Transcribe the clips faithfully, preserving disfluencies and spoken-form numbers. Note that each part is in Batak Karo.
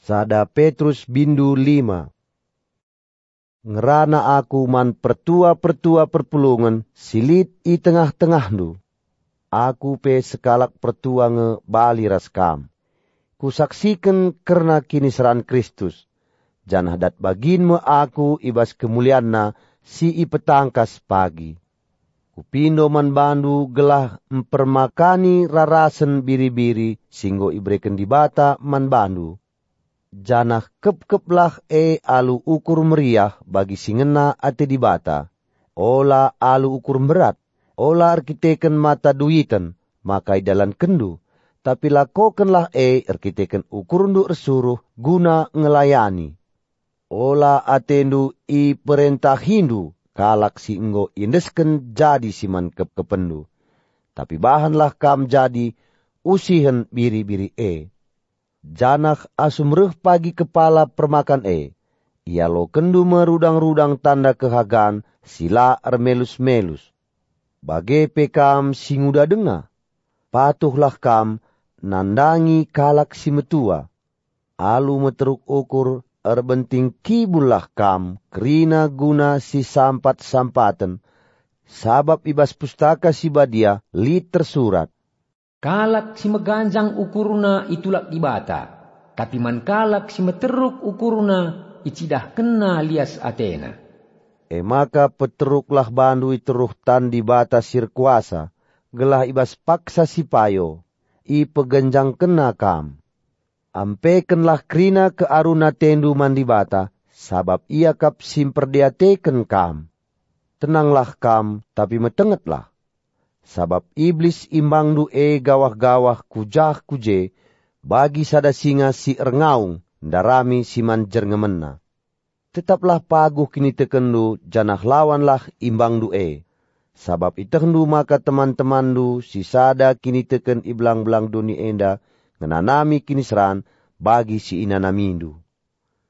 Sada Petrus bindu lima. Ngerana aku man pertua-pertua perpulungen si lit i tengah-tengahndu. Aku pe sekalak pertua nge bali ras kam. Kusaksiken kerna kiniseran Kristus, janah dat bagin me aku i bas kemulianNa si ipetangkas pagi. Kupindo man bandu gelah mpermakani rarasen biri-biri si enggo ibereken Dibata man bandu, janah kepkeplah e alu ukur meriah bagi si ngena ate Dibata, ola alu ukur mberat, ola erkiteken mata duiten maka idalankenndu, tapi lakokenlah e erkiteken ukurndu ersuruh guna ngelayani. Ola atendu iperentahindu kalak si enggo iendesken jadi si man kepkepenndu, tapi bahanlah kam jadi usihen biri-biri e. Janah asum reh pagi kepala permakan e, ialokenndu me rudang-rudang tanda kehagan si la ermelus-melus. Bage pe kam si nguda denga. Patuhlah kam nandangi kalak si metua. Alu meteruk ukur erbenting kibullah kam kerina guna si sampat-sampaten, sabap i bas Pustaka Si Badia lit tersurat, "Kalak si meganjang ukurna itulak Dibata, tapi man kalak si meteruk ukurna icidahkenna lias atena." E maka peteruklah bandu i teruh tan Dibata si erkuasa, gelah i bas paksa si payo ipegenjangkenNa kam. Ampekenlah kerina kearun atendu man Dibata, sabap Ia kap si mperdiateken kam. Tenanglah kam, tapi metengetlah. Sabap Iblis imbangndu e gawah-gawah ku jah ku je, bagi sada singa si erngaung ndarami si man jerngemenna. Tetaplah paguh kinitekenndu janah lawanlah imbangndu e, sabap itehndu maka teman-temanndu si sada kiniteken i belang-belang doni enda ngenanami kiniseran bagi si inanamindu.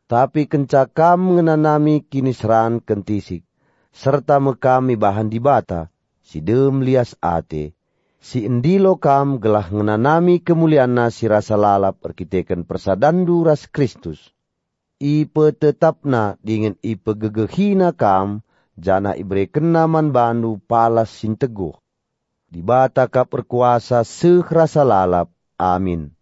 Tapi kenca kam ngenanami kiniseran kentisik, serta me kam ibahan Dibata, si dem lias ate, si endilo kam gelah ngenanami kemulianNa si rasa lalap erkiteken persadanndu ras Kristus. IpetetapNa dingen ipegegehiNa kam, janah iberekenNa man bandu palas si nteguh. Dibata kap erkuasa seh rasa lalap. Amin.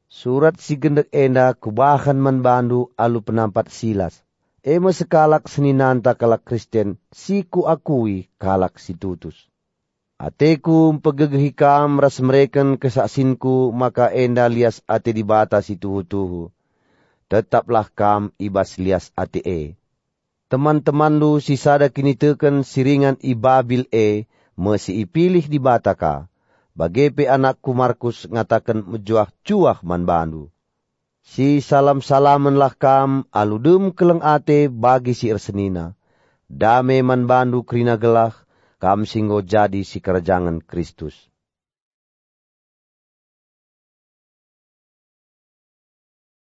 Surat si gendek enda kubahan man bandu alu penampat Silas, e me sekalak seninanta kalak Kristen si kuakui kalak si tutus. Ateku mpegegehi kam ras mereken kesaksinku maka enda lias ate Dibata si tuhu-tuhu. Tetaplah kam i bas lias ate e. Teman-temanndu si sada kiniteken si ringan i Babil e me si ipilih Dibata ka, bage pe anakku Markus ngataken mejuah-juah man bandu. Sisalam-salamenlah kam alu dem keleng ate bagi si ersenina. Dame man bandu kerina gelah, kam si enggo jadi sikerajangen Kristus.